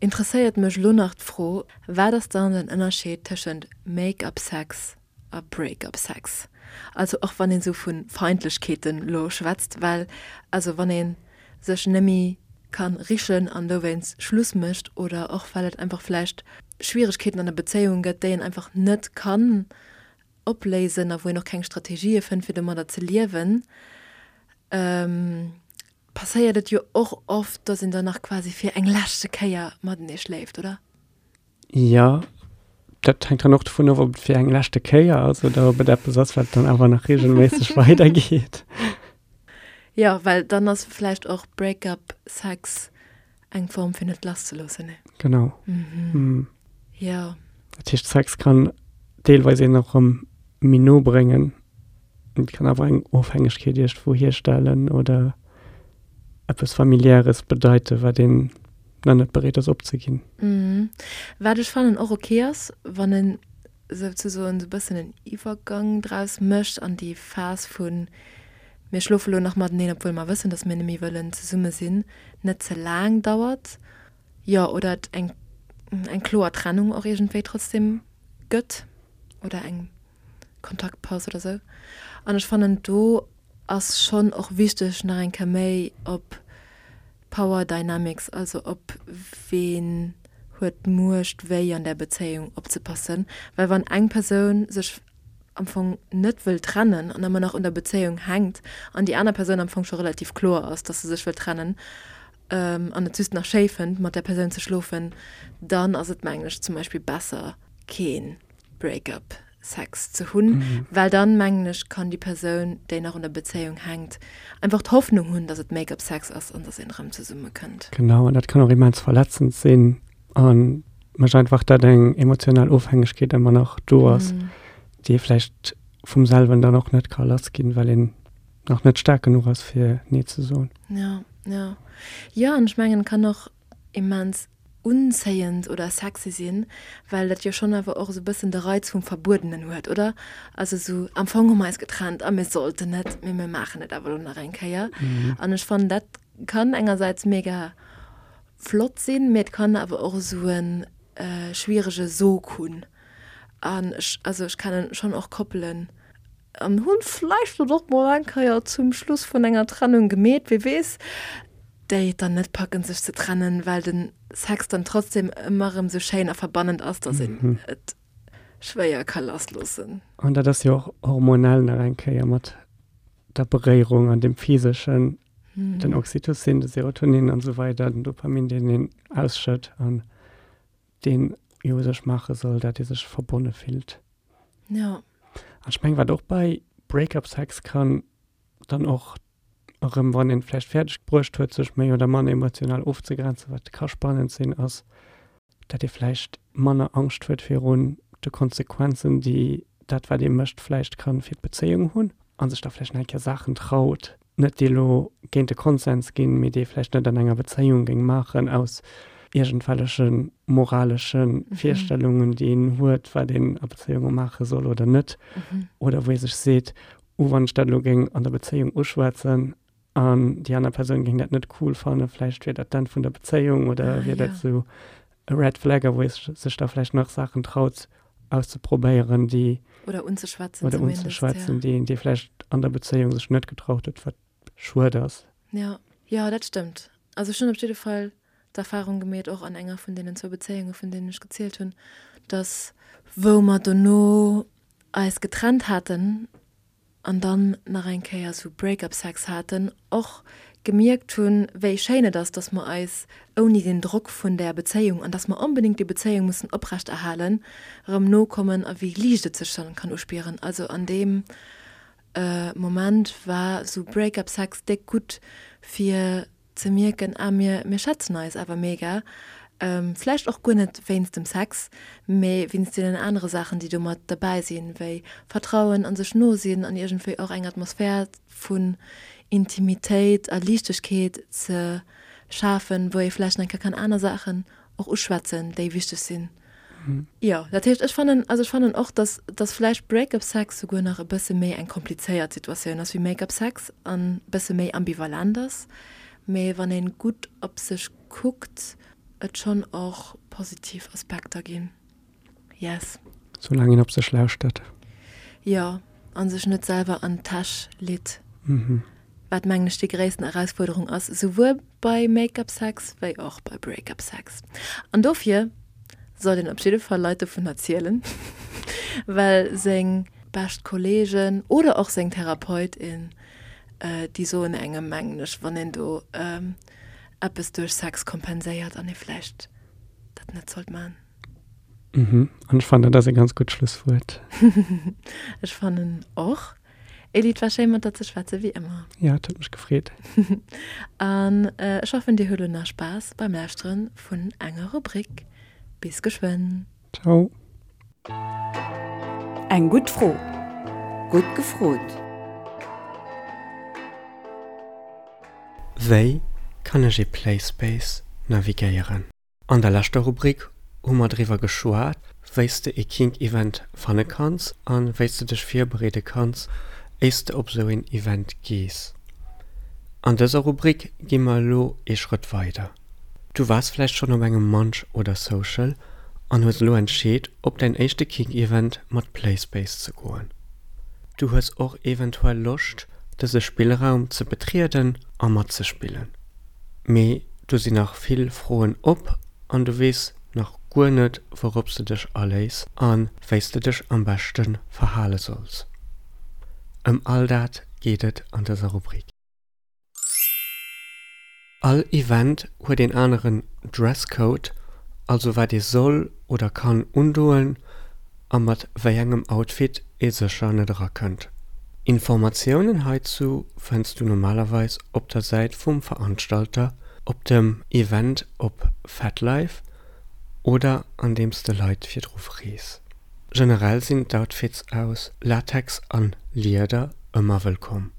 interesséiert mech lo nach d'Fro, Wat ass dann den Ënnerscheed tëschent Make-up Sex a Break-up Sex? Also och wann een esou vu Feindlechkeeten lo schwätzt, well also wann ee sech nëmme ka richen an dowéinst Schluss mécht oder och well et einfach vläicht Schwieregkeeten an der Bezéiung gëtt, déi een einfach net kann opléisen a wou een och keng Strategië fënnt fir domadder ze liewen, passéiert et jo och oft, dass een dann nach quasi fir eng leschte Kéier matenee schléift, oder? Jo, dat hänkt dann och dovun of, ob et fir eng leschte Kéier ass oder ob et eppes ass, wat dann awer nach reegelméisseg weidergeet. Jo, well dann ass vläicht och Break-up-Sex eng Form fir net lasszeloossen, ne? Genau. Mhm. Jo. Dat heescht, Sex kann deelweis een och erëm méi no bréngen, et kann awer eng Ofhängegkeet iergendwou hierstellen oder eppes Familiäres bedeiten, wat een nach net bereet ass opzeginn. Mhm. Wat ech fannen och ok ass, wann en souzesoen esou bëssen en Iwwergang draus mécht an déi Phas vu mir schlofe lo nach mateneen, obwuel mer wëssen, datt mir net méi wëllen zesumme sinn, net ze laang dauert. Jo, oder et eng eng kloer Trennung och iergendwéi trotzdem gëtt oder eng Kontaktpaus oder sou. An ech fannen do ass schonn och wichteg nach eng Kéier méi op Power Dynamics, also op ween huet d'Muecht wéi an där Bezéiung opzepassen, well wann eng Persoun sech am Fong net wëll trennen an ëmmer nach un der Bezéiung hänkt an déi aner Persoun am Fong scho relativ kloer ass, dass se sech wëll trennen an et just nach schéi fënnt mat där Persoun ze schlofen, dann ass et mengen ech zum Beispill besser kee Break-up Sex ze hunn, well dann mengen ech kann déi Persoun déi nach un der Bezéiung hänkt einfach d'Hoffnung hunn, dass et Make-up Sex ass an dass een erëm zesumme kënnt. Genau, an dat kann och immens verletzend sinn a mécht einfach dat eng emotional Ofhängegkeet ëmmer nach do ass, déi ee vläicht vum selwen dann och net ka lass ginn, well een nach net staark genuch ass fir nee ze soen. Ja, ja. Jo, an ech mengen et kann och immens unzéiend oder sexy sinn, well dat jo schonn awer och esou e bëssen de Reiz vum Verbuedenen huet, oder? Also esou, am Fong hu mer eis getrennt a mir sollten net, mee mir maachen et awer elo nach eng Kéier. An ech fannen, dat kann engersäits mega flott sinn, mee et kann awer och esou e schwierege Sog hunn. An ech, also ech kennen schonn och Koppelen, an hunn vläicht dat och mol eng Kéier zum Schluss vun enger Trennung gemeet, wie weess, déi et dann net packen sech ze trennen, well de Sex dann trotzdem ëmmer erëm sou schéin a verbannend ass, dass een et schwéier ka lassloossen. An dat ass jo och hormonell nach eng Kéier mat der Beréierung an dem Physeschen, den Oxytocin, de Serotonin an esou weider, den Dopamin, deen een ausschëtt an deen jo u sech maache soll, dat ee sech verbonne fillt. Jo. An ech mengen, wat och bei Break-up-Sex kann dann och erëm, wann een vläicht fäerdeg bruecht huet, sech méi oder manner emotional ofzegrenzen, wat ka spannend sinn, ass, dat ee vläicht manner Angscht huet virun de Konsequenzen, déi dat, wat ee mécht, vläicht ka fir d'Bezéiung hunn a sech da vläicht nach eng Kéier Saachen traut, net déi elo géint de Konsens ginn, mee déi ee vläicht net an enger Bezéiung géing maachen aus iergendwelleche moralesche Virstellungen, déi een huet, wat een a Bezéiunge maache soll oder net. Oder wou ee sech seet, Oh, wann ech dat elo géing an der Bezéiung uschwätzen an déi aner Persoun géing dat net cool fannen, vläicht wier dat d'Enn vun der Bezéiung oder wier dat esou e Red Flag, a wou ee sech da vläicht nach Saachen traut auszeprobéieren, déi Oder unzeschwätzen oder zumindest, unzeschwätzen, ja. déi een, déi vläicht an der Bezéiung sech net getraut huet, wat schued ass. Ja, jo, dat stëmmt. Also ech hunn op jidde Fall d'Erfahrung gemeet, och an enger vun deenen zwou Bezéiunge vun deenen ech gezielt hunn, dass wou mer dono eis getrennt haten an dann nach eng Kéier sou Break-up-Sex haten, och gemierkt hunn, wéi schéin et ass, dass mer eis ouni den Drock vun där Bezéiung an dass mer onbedéngt déi Bezéiung mussen oprechterhalen, erëm no kommen a wéi liicht et sech dann kann uspieren. Also an deem Moment war sou Break-up-Sex déck gutt fir ze mierken, ah mir mir schätzen eis awer mega, vläicht och guer net wéinst dem Sex, mee wéinst deenen anere Saachen, déi do mat derbäi sinn, wéi Vertrauen an sech no sinn an iergendwéi och eng Atmosphär vun Intimitéit a Liichtegkeet ze schafen, wou ee vläicht nach eng Kéier kann aner Saachen och uschwätzen, déi wichteg sinn. Jo, dat heescht, ech fannen, also ech fannen och, dass, dass vläicht Break-up-Sex souguer nach e bësse méi eng komplizéiert Situatioun ass wéi Make-up-Sex an e bësse méi ambivalent ass. Mee wann een gutt op sech kuckt, et schonn och positiv Aspekter ginn. Yes. Soulaang een op sech lauschtert. Jo, a sech net selwer an d'Täsch litt. Mhm. Wat mengen ech déi gréissten Erausfuerderung ass, souwuel bei Make-up Sex wéi och bei Break-up Sex. An dofir sollt een op jidde Fall Leit dovun erzielen, well seng bescht Kolleegen oder och seng Therapeutin, déi soen engem mengen ech, wann een do eppes duerch Sex kompenséiert an ee vläicht dat net sollt man. Mhm. An ech fannen, dat ass e ganz gutt Schlusswuert. Ech fannen och. Elie, et war schéin mat der ze schwätzen, wéi ëmmer. Ja, et huet mech gefreet. An ech hoffen, dir hutt elo nach Spaass beim Lauschteren vun enger Rubrik. Bis geschwënn. Ciao. Eng gutt Fro. Gutt gefrot. Wéi kann ech ee Playspace navigéieren? An der leschter Rubrik hu mer driwwer geschwat, wéi s de ee Kink-Event fanne kanns a wéi s de dech virbereede kanns, éiers de op esou een Event gees. An dëser Rubrik gi mer elo ee Schrëtt weider. Du waars vläicht schonn op engem Munch oder Social an hues elo entscheet, op däin éischte Kink-Event mat Playspace ze goen. Du hues och eventuell Loscht, dëse Spillraum ze betrieden a matzespillen. Mee do sinn nach vill Froen op an du weess nach guer net, wourop s de dech aléiss a wéi s de dech am beschte verhale solls. Ëm all dat geet et an dëser Rubrik. All Event huet een aneren Dresscode, also wat ee soll oder kann undoen a mat wéi engem Outfit ee sécher net erakënnt. Informatiounen heizou fënns du normalerweis op der Säit vum Veranstalter, op dem Event op FetLife oder andeems de Leit virdru frees. Generell sinn d'Outfits aus Latex an Lieder ëmmer wëllkomm.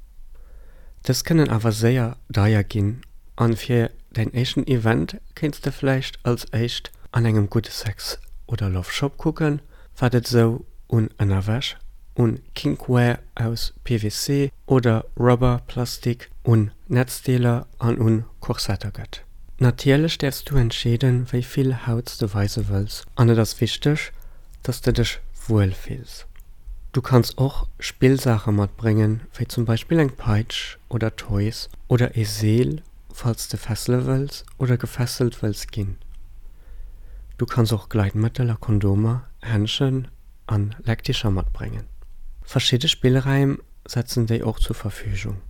Dës kënnen awer séier deier ginn an fir däin éischten Event kéints de vläicht als éischt an engem gudde Sex oder Love Shop kucken, wat et sou un Ënnerwäsch, un Kinkwear aus P V C oder Rubber, Plastik, un Netzdeeler an un Korsetter gëtt. Natierlech däerfs du entscheeden, wéi vill Haut s de weise wëlls an et ass wichteg, dass de dech wuel fills. Du kanns och Spillsaache matbréngen, wéi zum Beispill eng Peitsch oder Toys oder ee Seel, falls de fessele wëlls oder gefesselt wëlls ginn. Du kanns och Gleitmëttel a Kondomer, Händschen an Leckdicher matbréngen. Verschidde Spillraim setzen déi och zur Verfügung.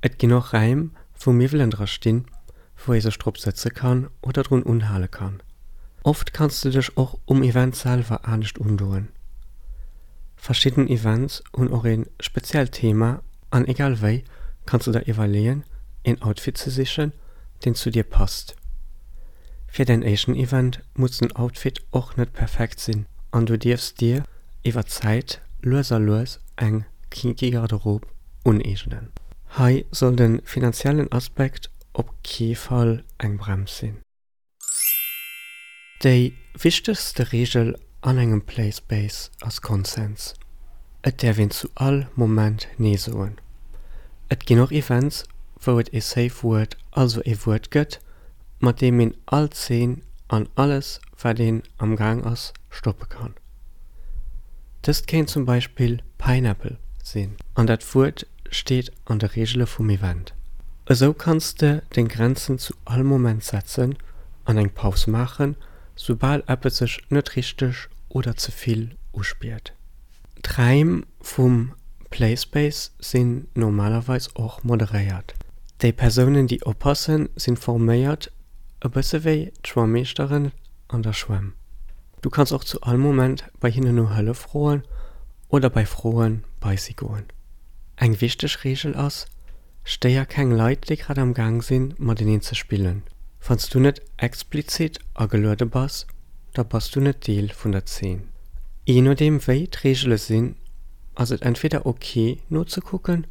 Et ginn och Raim, wou Miwwelen dra stinn, wou ee sech drop sëtze kann oder drun unhale kann. Oft kanns de dech och um Event selwer anescht undoen. Verschidden Events hunn och ee speziellt Thema an egal wéi kanns de der iwwerleeën, een Outfit ze sichen, deen zu dir passt. Fir däin éischten Event muss den Outfit och net perfekt sinn an du dierfs dir iwwer d'Zäit lues a lues eng kinky Garderobe uneegnen. Hei soll de finanziellen Aspekt op kee Fall eng Brems sinn. Déi wichtegste Reegel an engem Playspace ass Konsens. Et däerf een zu all Moment Nee soen. Et ginn och Events, wou et ee Safe Word, also ee Wuert gëtt, mat deem een all Zeen an alles, wat een am Gaang ass, stoppe kann. Dëst kéint zum Beispill Pineapple sinn an dat Wuert steet an de Reegele vum Event. Esou kanns de deng Grenzen zu all Moment setzen an eng Paus maachen, soubal eppes sech net richteg oder ze vill uspiert. D'Räim vum Playspace sinn normalerweis och moderéiert. Déi Persounen, déi oppassen, sinn forméiert, e bësse wéi d'Schwammeeschteren an der Schwämm. Du kanns och zu all Moment bei hinnen no Hëllef froen oder bei Froen bei si goen. Eng wichteg Reegel ass, Stéier keng Leit, déi grad am Gaang sinn, mateneen ze spillen. Wann s du net explizit ageluede bass, da bass du net Deel vun der Zeen. Jee nodeem wéi d'Reegele sinn, ass et entweder ok nozekucken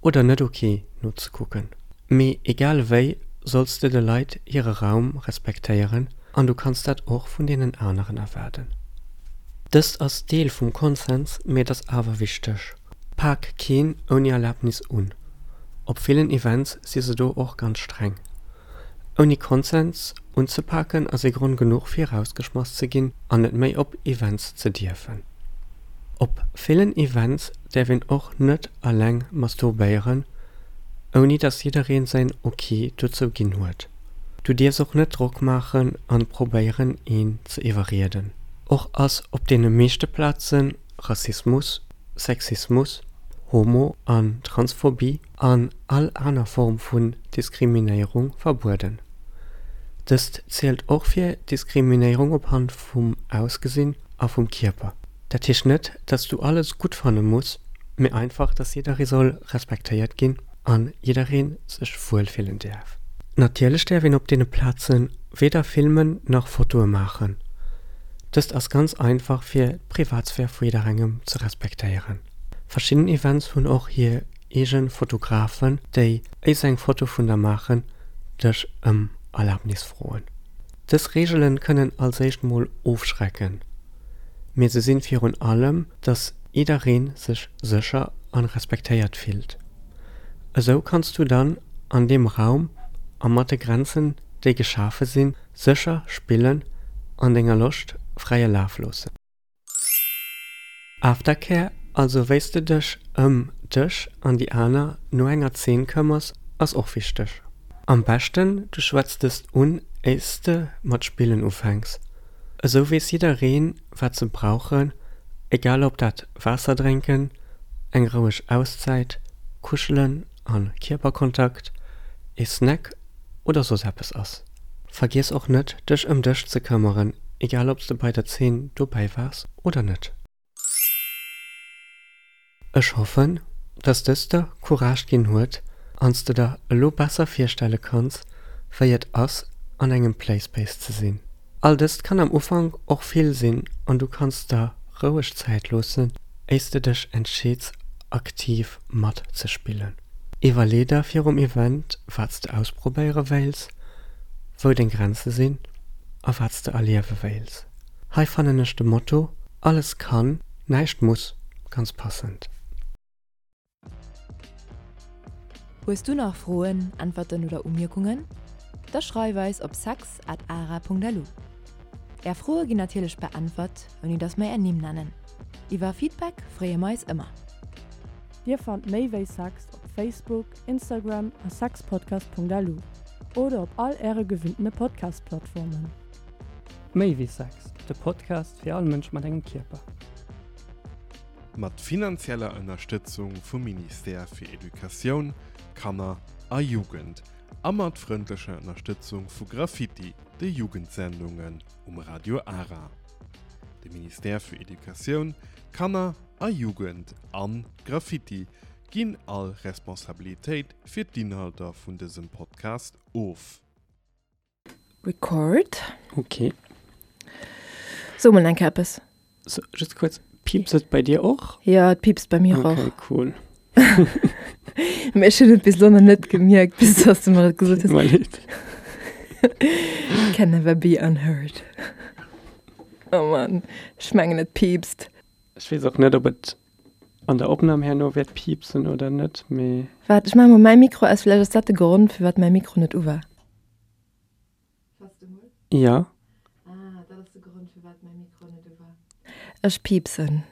oder net ok nozekucken. Mee egal wéi solls de de Leit hire Raum respektéieren an du kanns dat och vun deenen aneren erwaarden. Dëst ass Deel vum Konsens, mee et ass awer wichteg. Pak keen ouni Erlabnis un. Op villen Events si se do och ganz streng. Ouni Konsens Unzepaken ass ee Grond genuch fir erausgeschmass ze ginn an net méi op Events ze dierfen. Op villen Events däerf een och net alleng masturbéieren, ouni dass jiddereen säin Ok dozou ginn huet. Du dierfs och net Drock maachen an probéieren een ze iwwerrieden. Och ass op deene meeschte Plazen Rassismus, Sexismus, Homo an Transphobie an all aner Form vun Diskriminéierung verbueden. Dëst zielt och fir Diskriminéierung op Hand vum Ausgesinn a vum Kierper. Dat heescht net, dass du alles gutt fanne muss, mee einfach, dass jidderee soll respektéiert ginn an jidderee sech wuel fillen däerf. Natierlech däerf een op deene Plaze weder filmen nach Fotoe maachen. Dëst ass ganz einfach fir d'Privatsphär vu jidderengem ze respektéieren. Verschidden Events hunn och hir eege Fotografen, déi, éier se eng Foto vun der maachen, dech ëm Erlabnis froen. Dës Reegelen kënnen als éischt mol ofschrecken, mee se sinn virun allem, dass jiddereen sech sécher an respektéiert fillt. Esou kanns du dann an deem Raum a mat de Grenzen, déi geschafe sinn, sécher spillen an denger Loscht fräie Laf loossen. Aftercare, also wéi s de dech ëm dech an déi aner no enger Zeen këmmers, ass och wichteg. Am beschten du schwätz dëst un éiers de mat spillen ufänks. Esou weess jiddereen wat se brauchen, egal ob dat Waasser drénken, eng roueg Auszäit, Kuschelen an Kierperkontakt, ee Snack oder soss eppes ass. Vergiess och net dech ëm dech ze këmmeren, egal ob s de bei der Zeen dobäi waars oder net. Ech hoffen, dass dëst der Courage ginn huet an s de der elo besser virstelle kanns, wéi et ass, an engem Playspace ze sinn. All dëst kann am Ufank och vill sinn an du kanns der roueg Zäit loossen, éiers de dech entscheets, aktiv matzespillen. Iwwerlee der virum Event, wat s de ausprobéiere wéils, wou deng Grenze sinn a wat s de erliewe wéils. Hei fannen ech de Motto Alles kann, näischt muss ganz passend. Hues du nach Froen, Äntwerten oder Umierkungen? Da schreif eis op sex at ara punkt lu. Är Froe ginn natierlech beäntwert, ouni dass mer är Nimm nennen. Iwwer Feedback freeë mer eis ëmmer. Dir fannt méi wéi Sex op Facebook, Instagram a sexpodcast.lu oder op all äre gewinnte Podcast-Plattformen. Méi wéi Sex, de Podcast fir all Mënsch mat engem Kierper. Mat finanzieller Ënnerstëtzung vum Ministère fir Educatioun, Kanner a Jugend a mat frëndlecher Ënnerstëtzung vu Graffiti, de Jugendsendungen um Radio Ara. De Ministère fir Educatioun, Kanner a Jugend an Graffiti ginn all Responsabilitéit fir d'Inhalter vun dësem Podcast of. Record. Ok. So mol eng Kéier eppes. So, just kuerz, piepst et bei dir och? Ja, et piepst bei mir och. Okay, cool. Mee ech hunn et bis elo nach net gemierkt, bis dass du mer et gesot hues. Tut mer leed. Can never be unheard. Oh Mann, ech mengen et piepst. Ech weess och net, ob et an der Opnam herno wäert piepsen oder net, mee. Waart, ech maache mol mäi Mikro aus, vläicht ass dat de Grond, firwat mäi Mikro net u war. Ja. Ah, dat ass de Grond, firwat mäi Mikro net u war. Ech piepsen.